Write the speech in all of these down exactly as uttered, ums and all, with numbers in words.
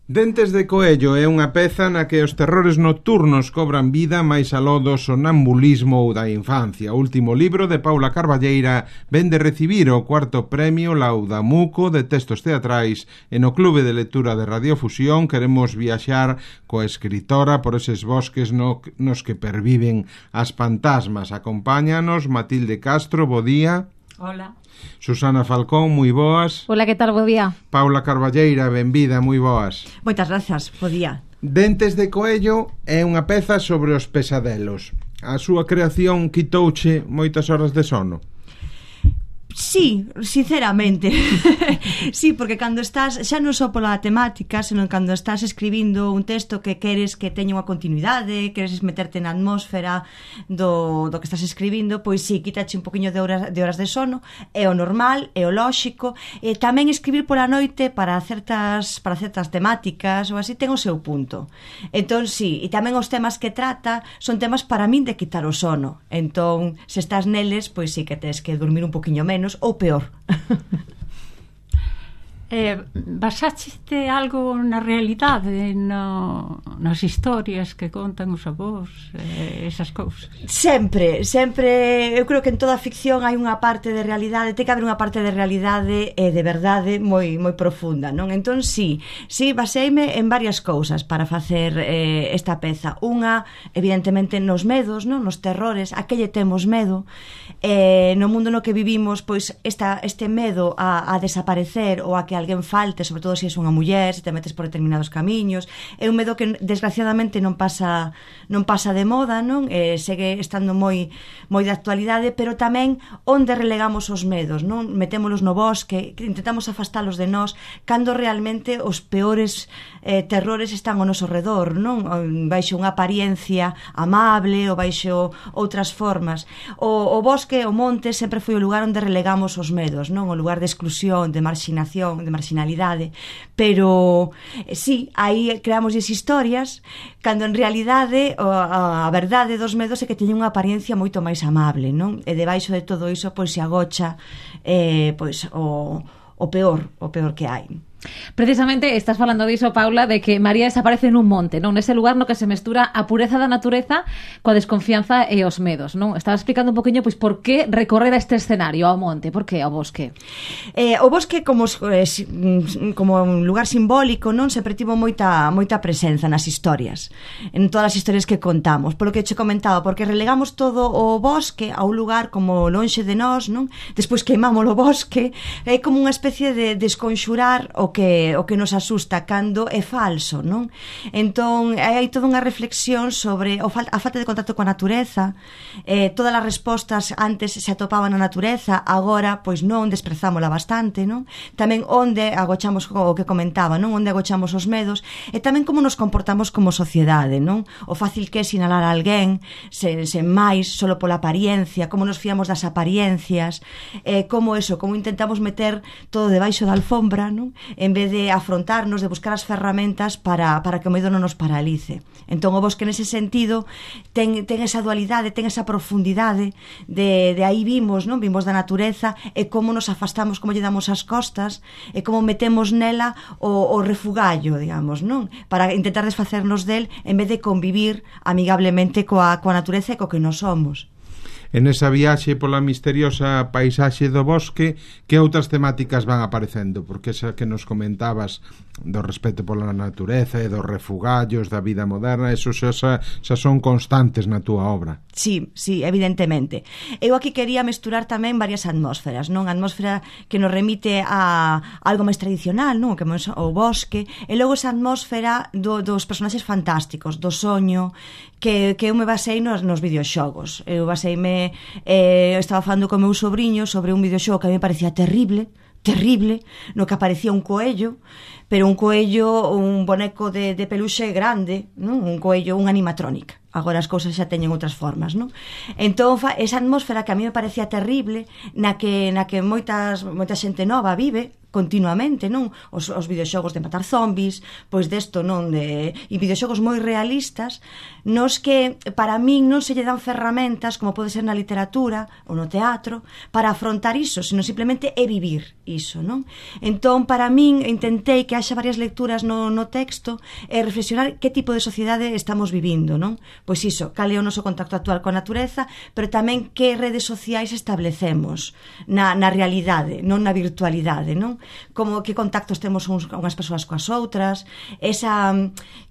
Dentes de Coello é unha peza na que os terrores nocturnos cobran vida máis aló do sonambulismo ou da infancia. O último libro de Paula Carballeira ven de recibir o cuarto premio Laudamuco de textos teatrais e no Clube de Lectura de Radiofusión queremos viaxar coa escritora por eses bosques no, nos que perviven as fantasmas. Acompáñanos Matilde Castro, bo día. Hola. Susana Falcón, moi boas. Hola, que tal, bo día. Paula Carballeira, benvida, moi boas. Moitas grazas, bo día. Dentes de Coello é unha peza sobre os pesadelos. A súa creación quitouche moitas horas de sono? Sí, sinceramente. Sí, porque cando estás, xa non só pola temática, senón cando estás escribindo un texto que queres que teña unha continuidade, queres meterte na atmósfera do, do que estás escribindo, pois sí, quítache un poquinho de horas de horas de sono, é o normal, é o lóxico, e tamén escribir pola noite para certas para certas temáticas ou así ten o seu punto. Entón, sí, e tamén os temas que trata son temas para min de quitar o sono. Entón, se estás neles, pois sí que tes que dormir un poquinho menos ou peor. eh, basaste algo na realidade, no, nas historias que contan os avós, eh, esas cousas? Sempre, sempre, eu creo que en toda a ficción hai unha parte de realidade, ten que haber unha parte de realidade e de verdade moi moi profunda, non? Entón, sí, sí, baseime en varias cousas para facer eh, esta peza. Unha, evidentemente, nos medos, non? Nos terrores, a que lle temos medo, eh, no mundo no que vivimos, pois esta, este medo a, a desaparecer ou a que alguén falte, sobre todo se és unha muller, se te metes por determinados camiños, é un medo que desgraciadamente non pasa non pasa de moda, non? Eh, segue estando moi moi de actualidade, pero tamén onde relegamos os medos, non? Metémolos no bosque, intentamos afastalos de nós, cando realmente os peores eh, terrores están ao noso redor, non? Baixo unha apariencia amable ou baixo outras formas. O, o bosque, o monte, sempre foi o lugar onde relegamos os medos, non? O lugar de exclusión, de marxinación, de marxinalidade, pero sí, aí creamos esas historias cando en realidade a, a verdade dos medos é que teñen unha apariencia moito máis amable, non? E debaixo de todo iso pois se agocha eh, pois o, o peor, o peor que hai. Precisamente estás falando diso, Paula, de que María desaparece nun monte, non? Nese lugar no que se mestura a pureza da natureza coa desconfianza e os medos, non? Estaba explicando un poquinho pois por que recorrer a este escenario ao monte, por que ao bosque? Eh, o bosque como eh, como un lugar simbólico, non? Sempre tivo moita moita presenza nas historias, en todas as historias que contamos. Polo que che comentaba, porque relegamos todo o bosque a un lugar como lonxe de nós, non? Despois queimamos o bosque, é como unha especie de desconxurar o que o que nos asusta cando é falso, non? Entón, hai toda unha reflexión sobre o fal- a falta de contacto coa natureza, eh, todas as respostas antes se atopaban na natureza, agora, pois non, desprezámola bastante, non? Tamén onde agochamos o que comentaba, non? Onde agochamos os medos, e tamén como nos comportamos como sociedade, non? O fácil que é sinalar a alguén, sen, sen máis, solo pola apariencia, como nos fiamos das apariencias, eh, como eso, como intentamos meter todo debaixo da alfombra, non? En vez de afrontarnos, de buscar as ferramentas para, para que o medo non nos paralice. Entón, o bosque nese sentido ten, ten esa dualidade, ten esa profundidade de, de aí vimos, non? Vimos da natureza e como nos afastamos, como lle damos as costas e como metemos nela o, o refugallo, digamos, non? Para intentar desfacernos del en vez de convivir amigablemente coa, coa natureza e co que nos somos. En esa viaxe pola misteriosa paisaxe do bosque, que outras temáticas van aparecendo? Porque esa que nos comentabas do respeto pola natureza e dos refugallos da vida moderna, eso xa, xa, xa son constantes na túa obra. Sí, sí, evidentemente. Eu aquí quería mesturar tamén varias atmósferas, non? A atmósfera que nos remite a algo máis tradicional, non? Que é o bosque, e logo esa atmósfera do, dos personaxes fantásticos, do soño, que, que eu me basei nos, nos videoxogos. Eu baseime, eh, estaba falando co meu sobrinho sobre un videoxogo que a mí me parecía terrible, terrible, no que aparecía un coello, pero un coello, un boneco de, de peluxe grande, non? Un coello, un animatronic. agora as cousas xa teñen outras formas, non? Entón, fa, esa atmósfera que a mí me parecía terrible, na que, na que moitas, moita xente nova vive continuamente, non? Os, os videoxogos de matar zombies, pois desto, non? De, e videoxogos moi realistas, nos que para min non se lle dan ferramentas, como pode ser na literatura ou no teatro, para afrontar iso, sino simplemente é vivir iso, non? Entón, para min, intentei que haxa varias lecturas no, no texto e reflexionar que tipo de sociedade estamos vivindo, non? Pois iso, cal é o noso contacto actual coa natureza, pero tamén que redes sociais establecemos na, na realidade, non na virtualidade, non? Como que contactos temos uns, unhas persoas coas outras, esa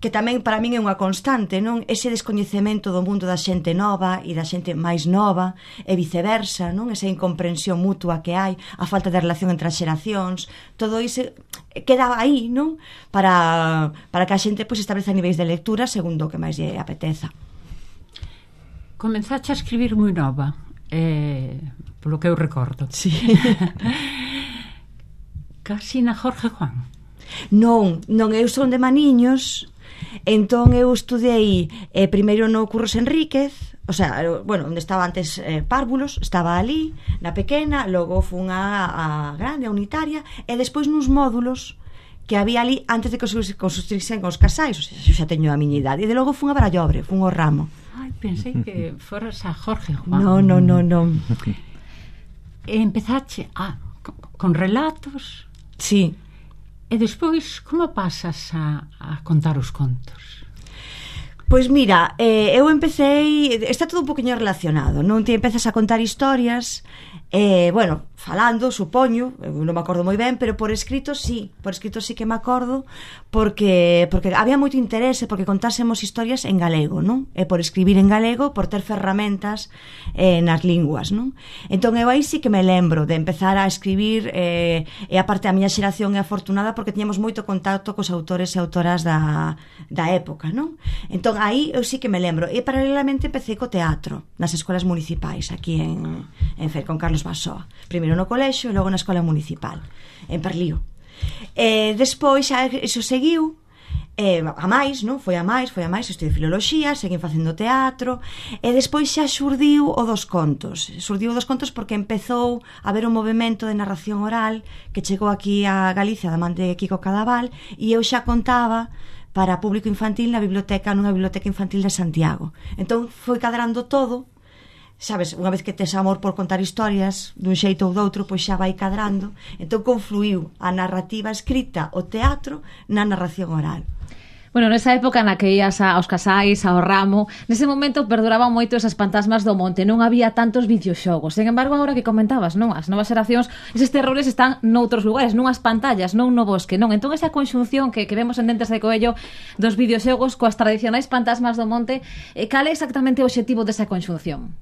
que tamén para min é unha constante, non? Ese descoñecemento do mundo da xente nova e da xente máis nova e viceversa, non? Esa incomprensión mutua que hai, a falta de relación entre as xeracións, todo iso queda aí, non? Para, para que a xente pois, estableza niveis de lectura segundo o que máis lle apeteza. Comenzaste a escribir moi nova, eh, polo que eu recordo. Sí. Casi na Jorge Juan. Non, non, eu son de Maniños, entón eu estudei eh, primeiro no Curros Enríquez, o sea, bueno, onde estaba antes eh, Párvulos, estaba ali, na pequena, logo fun a, a grande, a unitaria, e despois nos módulos que había ali antes de que se construísen os casais, o sea, xa teño a miña idade, e de logo fun a Barallobre, fun ao ramo. Ai, pensei que foras a Jorge Juan. Non, non, non, non. E empezaste, ah, con, con relatos. Sí. E despois, como pasas a, a contar os contos? Pois mira, eh, eu empecei, está todo un poquinho relacionado, non? Ti empezas a contar historias, eh, bueno, falando, supoño, eu non me acordo moi ben, pero por escrito sí, por escrito sí que me acordo, porque porque había moito interese, porque contásemos historias en galego, non? E por escribir en galego, por ter ferramentas eh, nas linguas, non? Entón eu aí sí que me lembro de empezar a escribir, eh, e aparte a miña xeración é afortunada porque tiñamos moito contacto cos autores e autoras da, da época, non? Entón aí eu sí que me lembro, e paralelamente empecé co teatro nas escolas municipais aquí en, en Fer, con Carlos Basoa, primeiro no colexio e logo na escola municipal en Parlío. E despois xa iso seguiu, e a máis, non? Foi a máis, foi a máis, estudei filoloxía, seguín facendo teatro, e despois xa xurdiu o dos contos. Xurdiu o dos contos porque empezou a haber un movimento de narración oral que chegou aquí a Galicia da man de Kiko Cadaval, e eu xa contaba para público infantil na biblioteca, nunha biblioteca infantil de Santiago. Entón foi cadrando todo, sabes, unha vez que tes amor por contar historias dun xeito ou doutro, pois xa vai cadrando. Entón confluiu a narrativa escrita, o teatro, na narración oral. Bueno, nesa época na que ías aos casais, ao ramo, nese momento perduraban moito esas fantasmas do monte, non había tantos videoxogos. Sen embargo, agora que comentabas, non? As novas xeracións, eses terrores están noutros lugares, nunhas pantallas, non no bosque, non? Entón, esa conxunción que, que vemos en Dentes de Coello dos videoxogos coas tradicionais fantasmas do monte, eh, cal é exactamente o obxectivo desa conxunción?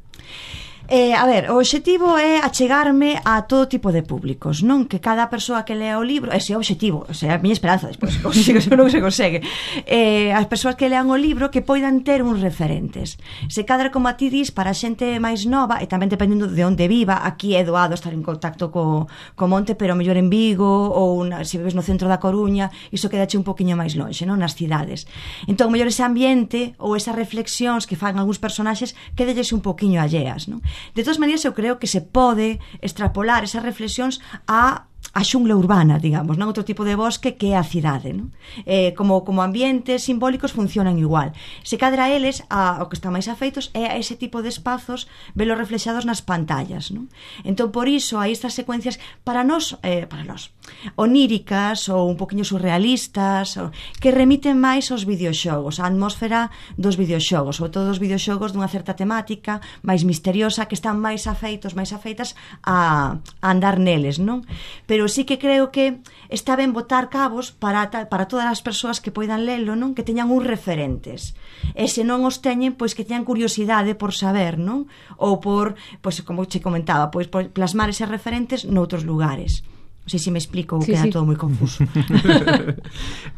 Eh, a ver, o obxectivo é achegarme a todo tipo de públicos, non? Que cada persoa que lea o libro, ese é o obxectivo, o sea, a miña esperanza, despois consigo, se non se consegue, eh, as persoas que lean o libro que poidan ter uns referentes. Se cadra, como a ti dis, para a xente máis nova, e tamén dependendo de onde viva, aquí é doado estar en contacto co, co monte, pero mellor en Vigo, ou na, se vives no centro da Coruña, iso quedache un poquinho máis lonxe, non? Nas cidades. Entón, mellor ese ambiente, ou esas reflexións que fan algúns personaxes, quedelles un poquinho alleas, non? De todas maneiras, eu creo que se pode extrapolar esas reflexións a a xungla urbana, digamos, non? Outro tipo de bosque que é a cidade, non? Eh, como, como ambientes simbólicos funcionan igual. Se cadra eles, a, o que están máis afeitos é a ese tipo de espazos velos reflexados nas pantallas, non? Entón, por iso, hai estas secuencias para nós, eh, para nós, oníricas ou un poquinho surrealistas, ou, que remiten máis aos videoxogos, a atmósfera dos videoxogos, sobre todo os videoxogos dunha certa temática máis misteriosa, que están máis afeitos, máis afeitas a, a andar neles, non? Pero sí que creo que está ben botar cabos para, para todas as persoas que poidan lelo, non? Que teñan uns referentes. E se non os teñen, pois que teñan curiosidade por saber, non? Ou por, pois como che comentaba, pois por plasmar eses referentes noutros lugares. Non sei se me explico, sí, queda sí. Todo moi confuso.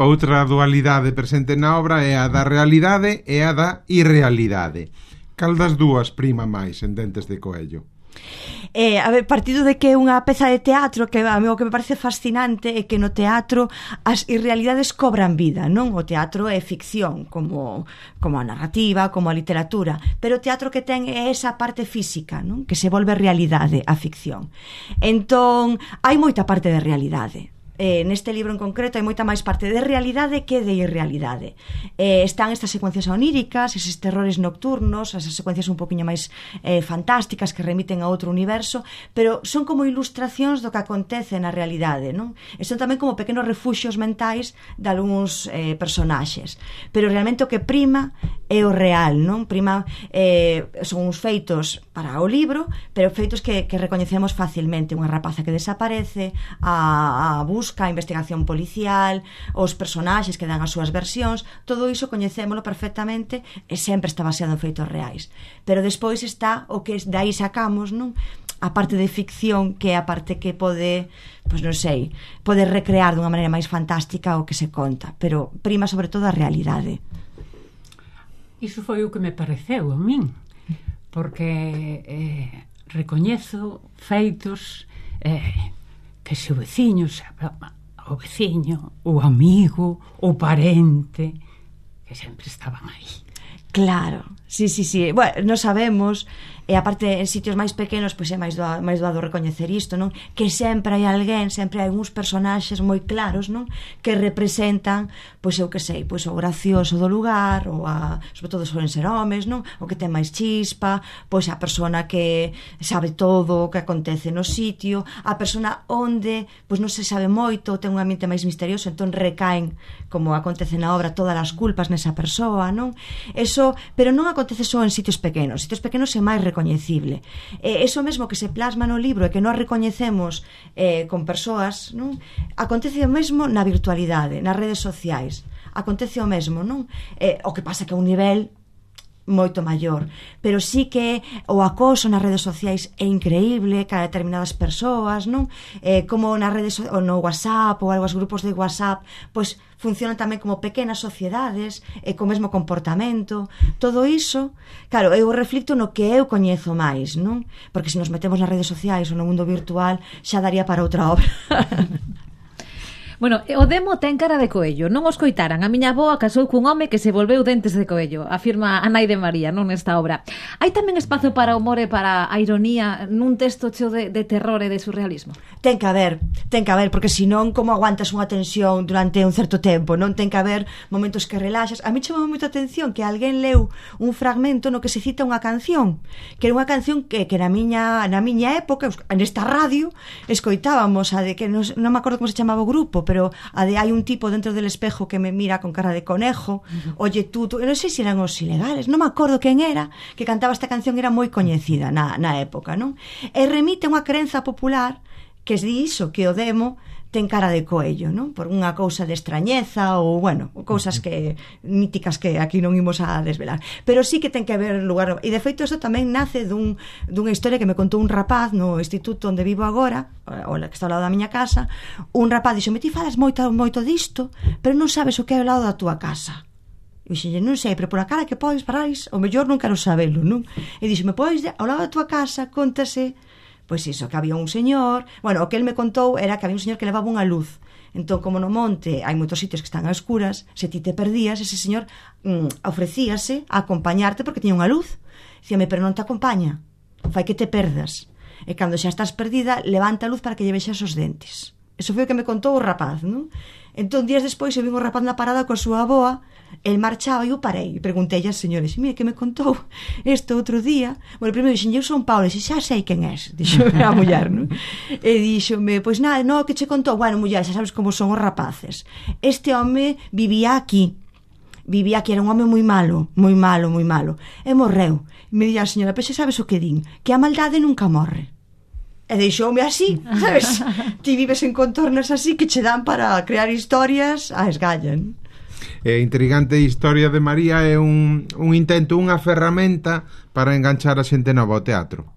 Outra dualidade presente na obra é a da realidade e a da irrealidade. Cal das dúas prima máis en Dentes de Coello? Eh, a ver, partido de que é unha peza de teatro que a mí o que me parece fascinante é que no teatro as irrealidades cobran vida, non? O teatro é ficción, como, como a narrativa, como a literatura, pero o teatro que ten é esa parte física, non? Que se volve realidade a ficción. Entón, hai moita parte de realidade. Eh, neste libro en concreto hai moita máis parte de realidade que de irrealidade. Eh, están estas secuencias oníricas, eses terrores nocturnos, esas secuencias un poquinho máis eh, fantásticas que remiten a outro universo, pero son como ilustracións do que acontece na realidade, non? E son tamén como pequenos refuxios mentais de algúns eh, personaxes. Pero realmente o que prima é o real, non? Prima eh, son uns feitos para o libro, pero feitos que, que recoñecemos facilmente. Unha rapaza que desaparece, a, a busca, a investigación policial, os personaxes que dan as súas versións, todo iso coñecémolo perfectamente e sempre está baseado en feitos reais. Pero despois está o que dai sacamos, non? A parte de ficción, que é a parte que pode, pois non sei, pode recrear dunha maneira máis fantástica o que se conta, pero prima sobre todo a realidade. Iso foi o que me pareceu a min, porque eh, recoñezo feitos eh, que se o veciño, o veciño, o amigo, o parente, que sempre estaban aí. Claro, sí, sí, sí. Bueno, non sabemos, e aparte en sitios máis pequenos pois é máis doado, máis doado recoñecer isto, non? Que sempre hai alguén, sempre hai uns personaxes moi claros, non? Que representan, pois eu que sei, pois o gracioso do lugar, ou a, sobre todo suelen ser homes, non? O que ten máis chispa, pois a persona que sabe todo o que acontece no sitio, a persona onde pois non se sabe moito, ten un ambiente máis misterioso, entón recaen, como acontece na obra, todas as culpas nesa persoa, non? Eso, pero non acontece só en sitios pequenos, sitios pequenos é máis recoñecible. Eh, eso mesmo que se plasma no libro e que nós recoñecemos eh, con persoas, non? Acontece o mesmo na virtualidade, nas redes sociais. Acontece o mesmo, non? Eh, o que pasa que a un nivel moito maior, pero sí que o acoso nas redes sociais é increíble cara a determinadas persoas, non? Eh, como nas redes ou no WhatsApp ou algo, os grupos de WhatsApp, pois funcionan tamén como pequenas sociedades e co mesmo comportamento. Todo iso, claro, eu reflito no que eu coñezo máis, non? Porque se nos metemos nas redes sociais ou no mundo virtual xa daría para outra obra. Bueno, o demo ten cara de coello. Non os coitaran. A miña avoa casou cun home que se volveu dentes de coello, afirma a nai de María, non nesta obra. Hai tamén espazo para o humor e para a ironía nun texto cheo de, de terror e de surrealismo? Ten que haber, ten que haber, porque senón como aguantas unha tensión durante un certo tempo, non? Ten que haber momentos que relaxas. A mí chamou moita atención que alguén leu un fragmento no que se cita unha canción, que era unha canción que, que na miña na miña época, nesta radio, escoitábamos a de que non, non me acordo como se chamaba o grupo, pero a de hai un tipo dentro del espejo que me mira con cara de conejo, uh-huh. Oye tú, tú, non sei se eran os ilegales, non me acordo quen era, que cantaba esta canción, era moi coñecida na, na época, non? E remite a unha crenza popular que di iso, que o demo ten cara de coello, non? Por unha cousa de extrañeza ou, bueno, cousas que míticas que aquí non imos a desvelar. Pero sí que ten que haber lugar. E de feito isto tamén nace dun, dunha historia que me contou un rapaz no instituto onde vivo agora, o que está ao lado da miña casa. Un rapaz dixo, me ti falas moito, moito disto, pero non sabes o que é ao lado da túa casa. E dixenlle, non sei, pero por a cara que podes parais, o mellor non quero sabelo, non? E dixo, me podes, ao lado da túa casa, contase. Pois iso, que había un señor, bueno, o que el me contou era que había un señor que levaba unha luz. Entón, como no monte hai moitos sitios que están a escuras, se ti te perdías, ese señor mm, ofrecíase a acompañarte porque tiña unha luz. Dicíame, pero non te acompaña, fai que te perdas. E cando xa estás perdida, levanta a luz para que lle vexas os dentes. Eso foi o que me contou o rapaz, non? Entón, días despois, eu vin o rapaz na parada coa súa avoa, el marchaba e eu parei e preguntei aos señores, mire, que me contou este outro día. Bueno, primeiro dixen, eu son Paulo, e xa sei quen és, dixo a muller, non? E dixome, pois nada, no, que che contou? Bueno, muller, xa sabes como son os rapaces. Este home vivía aquí, vivía aquí, era un home moi malo, moi malo, moi malo, e morreu. E me dixo a señora, pois xa sabes o que din, que a maldade nunca morre. E deixoume así, sabes? Ti vives en contornos así que che dan para crear historias a esgallan. É intrigante a historia de María, é un, un intento, unha ferramenta para enganchar a xente nova ao teatro.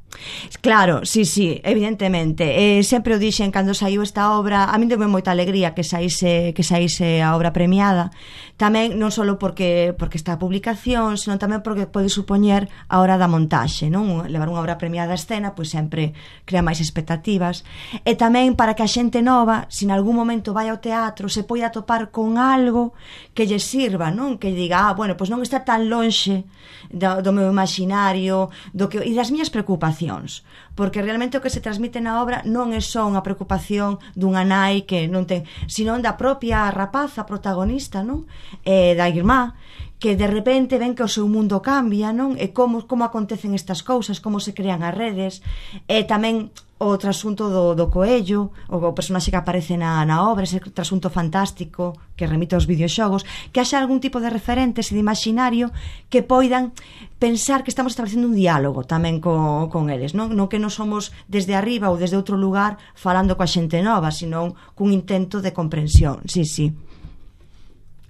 Claro, sí, sí, evidentemente. Eh, sempre o dixen cando saiu esta obra, a min deu moita alegría que saíse que saíse a obra premiada. Tamén non só porque porque está a publicación, senón tamén porque pode supoñer a hora da montaxe, non? Levar unha obra premiada a escena, pois sempre crea máis expectativas. E tamén para que a xente nova, se en algún momento vai ao teatro, se poida topar con algo que lle sirva, non? Que diga, ah, bueno, pois non está tan lonxe do, do meu imaginario, do que e das miñas preocupacións, porque realmente o que se transmite na obra non é só unha preocupación dunha nai que non ten, senón da propia rapaza protagonista, non? E da irmá, que de repente ven que o seu mundo cambia, non? E como, como acontecen estas cousas, como se crean as redes, e tamén o trasunto do, do coello, o, o personaxe que aparece na, na obra, ese trasunto fantástico que remite aos videoxogos, que haxa algún tipo de referentes e de imaginario que poidan pensar que estamos establecendo un diálogo tamén co, con eles, non? Non que non somos desde arriba ou desde outro lugar falando coa xente nova, senón cun intento de comprensión, sí, sí.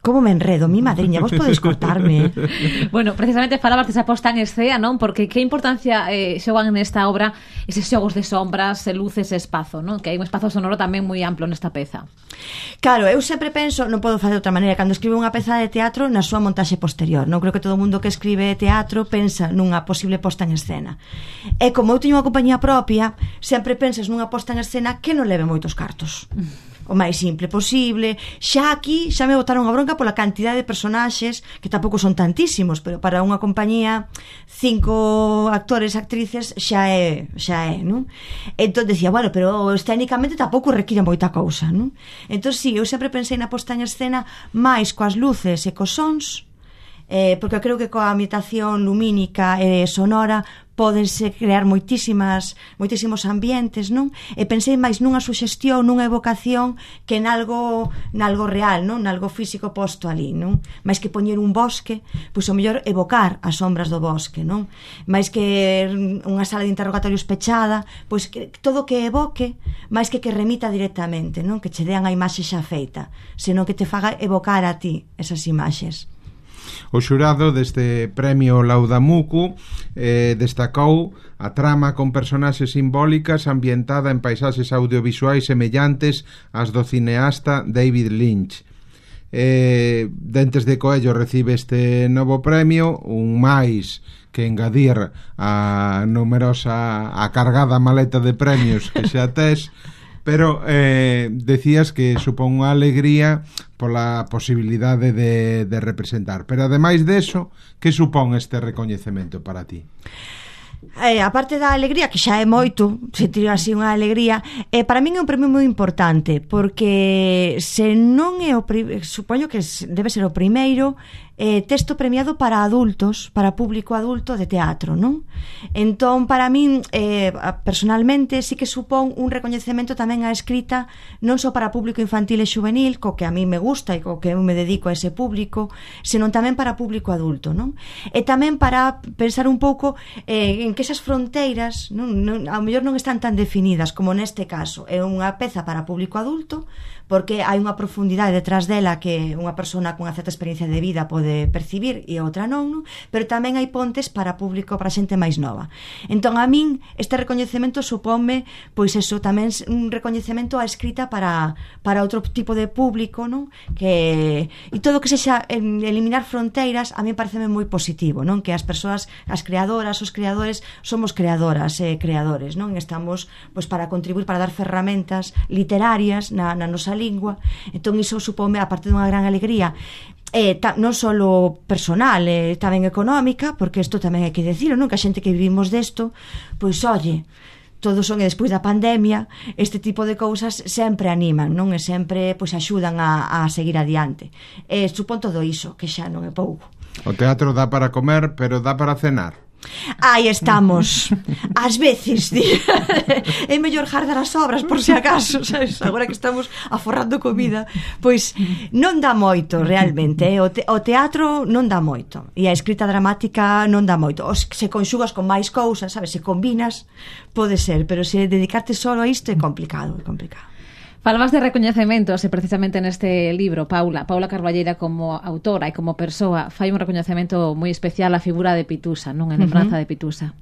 Como me enredo, mi madriña, vos podes cortarme. Bueno, precisamente falabas desa posta en escena, non? Porque que importancia eh, xogan nesta obra eses xogos de sombras, luces e espazo, non? Que hai un espazo sonoro tamén moi amplo nesta peza. Claro, eu sempre penso, non podo facer de outra maneira, cando escribo unha peza de teatro na súa montaxe posterior. Non creo que todo o mundo que escribe teatro pensa nunha posible posta en escena. E como eu teño unha compañía propia, sempre pensas nunha posta en escena que non leve moitos cartos. O máis simple posible. Xa aquí xa me botaron a bronca pola cantidade de personaxes, que tampouco son tantísimos, pero para unha compañía cinco actores, actrices xa é, xa é, non? Entón decía, bueno, pero escénicamente tampouco require moita cousa, non? Entón si, sí, eu sempre pensei na posta en escena máis coas luces e cos sons, eh, porque creo que coa ambientación lumínica e sonora pódense crear moitísimas moitísimos ambientes, non? E pensei máis nunha suxestión, nunha evocación que nalgo, nalgo real, non? Nalgo físico posto ali, non? Máis que poñer un bosque, pois o mellor evocar as sombras do bosque, non? Máis que unha sala de interrogatorios pechada, pois que todo que evoque, máis que que remita directamente, non? Que che dean a imaxe xa feita, senón que te faga evocar a ti esas imaxes. O xurado deste premio Laudamucu eh, destacou a trama con personaxes simbólicas ambientada en paisaxes audiovisuais semellantes ás do cineasta David Lynch. Eh, Dentes de Coello recibe este novo premio, un máis que engadir a numerosa, a cargada maleta de premios que xa tes. Pero eh, decías que supón unha alegría pola posibilidade de, de representar. Pero ademais deso, que supón este recoñecemento para ti? Eh, a parte da alegría, que xa é moito, sentir así unha alegría, eh, para min é un premio moi importante, porque se non é o pri- supoño que debe ser o primeiro eh, texto premiado para adultos, para público adulto de teatro, non? Entón, para min, eh, personalmente, sí que supón un recoñecemento tamén á escrita, non só para público infantil e juvenil, co que a mí me gusta e co que eu me dedico a ese público, senón tamén para público adulto, non? E tamén para pensar un pouco eh, en que esas fronteiras, non, non, ao mellor non están tan definidas como neste caso. É unha peza para público adulto, porque hai unha profundidade detrás dela que unha persona con unha certa experiencia de vida pode percibir e outra non, non? Pero tamén hai pontes para público, para xente máis nova. Entón, a min, este recoñecemento supónme, pois eso, tamén un recoñecemento á escrita para, para outro tipo de público, non? Que, e todo que sexa eliminar fronteiras, a mí pareceme moi positivo, non? Que as persoas, as creadoras, os creadores, somos creadoras e creadores, non? Estamos, pois, para contribuir, para dar ferramentas literarias na, na nosa lingua. Entón iso supome, a parte dunha gran alegría, eh, ta, non só personal, eh, tamén económica, porque isto tamén hai que decirlo, non? Que a xente que vivimos desto, pois olle, todos son, e despois da pandemia, este tipo de cousas sempre animan, non? E sempre, pois, axudan a, a seguir adiante. E supón todo iso, que xa non é pouco. O teatro dá para comer, pero dá para cenar. Aí estamos. Ás veces, di. É mellor jardar as obras por se acaso, sabes? Agora que estamos aforrando comida, pois non dá moito realmente, eh? o, te, o teatro non dá moito e a escrita dramática non dá moito. Os, se conxugas con máis cousas, sabes? Se combinas, pode ser, pero se dedicarte solo a isto é complicado, é complicado. Falabas de recoñecementos e precisamente neste libro, Paula, Paula Carballeira como autora e como persoa fai un recoñecemento moi especial á figura de Pitusa, non? En lembranza uh-huh. de Pitusa.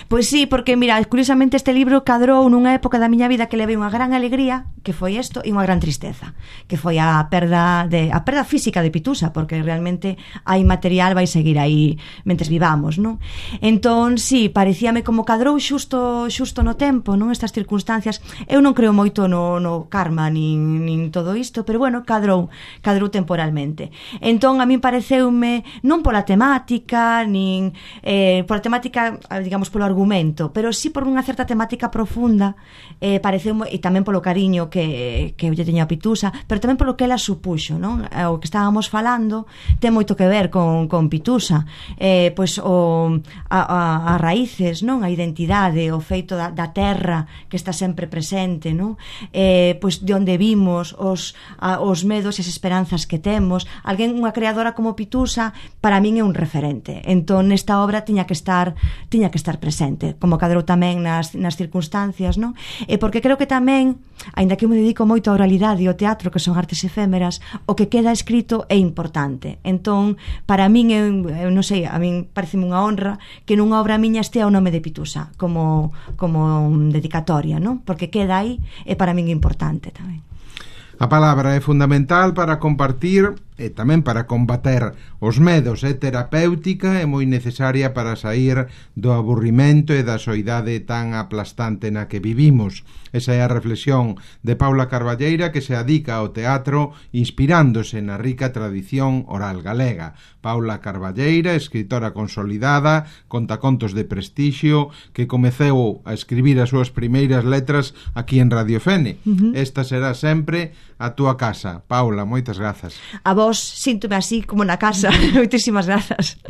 Pois sí, porque, mira, curiosamente este libro cadrou nunha época da miña vida que levei unha gran alegría, que foi isto, e unha gran tristeza, que foi a perda de a perda física de Pitusa, porque realmente hai material, vai seguir aí mentes vivamos, non? Entón, sí, parecíame como cadrou xusto xusto no tempo, non? Estas circunstancias. Eu non creo moito no, no karma nin, nin todo isto, pero bueno, cadrou, cadrou temporalmente. Entón, a min pareceume, non pola temática, nin eh, pola temática, digamos, polo argumento, pero sí por unha certa temática profunda, eh, pareceu, e tamén polo cariño que, que eu lle teño a Pitusa, pero tamén polo que ela supuxo, non? O que estábamos falando ten moito que ver con, con Pitusa, eh, pois o, a, a, a raíces, non? A identidade, o feito da, da terra que está sempre presente, non? Eh, pois de onde vimos, os, a, os medos e as esperanzas que temos. Alguén, unha creadora como Pitusa, para min é un referente. Entón, nesta obra tiña que estar tiña que estar presente, como cadrou tamén nas, nas circunstancias, non? E porque creo que tamén, aínda que eu me dedico moito á oralidade e ao teatro, que son artes efémeras, o que queda escrito é importante. Entón, para min, eu, eu non sei, a min pareceme unha honra que nunha obra miña estea o nome de Pitusa como, como dedicatoria, non? Porque queda aí e para min é importante tamén. A palabra é fundamental para compartir e tamén para combater os medos, é terapéutica e moi necesaria para sair do aburrimento e da soidade tan aplastante na que vivimos. Esa é a reflexión de Paula Carballeira, que se adica ao teatro inspirándose na rica tradición oral galega. Paula Carballeira, escritora consolidada, contacontos de prestixio, que comeceu a escribir as súas primeiras letras aquí en Radio Fene. Uh-huh. Esta será sempre a túa casa. Paula, moitas grazas. A vos, síntome así como na casa. Moitísimas grazas.